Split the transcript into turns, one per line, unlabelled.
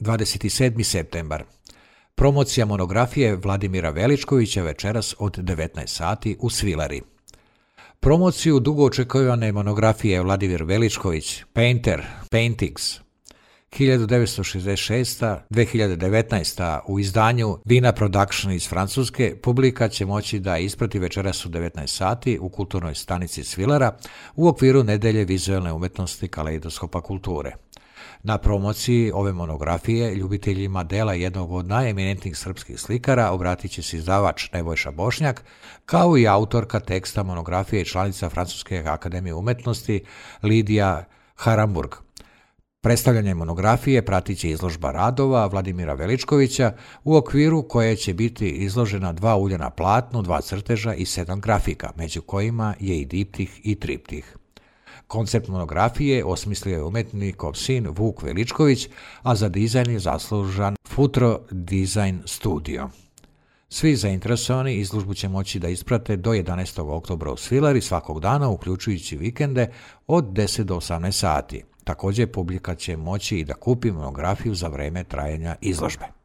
27. septembar. Promocija monografije Vladimira Veličkovića večeras od 19 sati u Svilari. Promociju dugo očekivane monografije Vladimir Veličković, Painter, Paintings, 1966-2019 u izdanju Vina Production iz Francuske, publika će moći da isprati večeras u 19 sati u kulturnoj stanici Svilara u okviru Nedelje vizualne umetnosti Kaleidoskopa kulture. Na promociji ove monografije ljubiteljima dela jednog od najeminentnijih srpskih slikara obratit će se izdavač Nebojša Bošnjak, kao i autorka teksta monografije i članica Francuske akademije umetnosti Lidija Haramburg. Predstavljanje monografije pratit će izložba radova Vladimira Veličkovića u okviru koje će biti izložena 2 ulja na platnu, 2 crteža i 7 grafika, među kojima je i diptih i triptih. Koncept monografije osmislio je umetnikov sin Vuk Veličković, a za dizajn je zaslužan Futro Design Studio. Svi zainteresovani izložbu će moći da isprate do 11. oktobra u Svilari svakog dana, uključujući vikende od 10 do 18 sati. Također publika će moći i da kupi monografiju za vreme trajanja izložbe.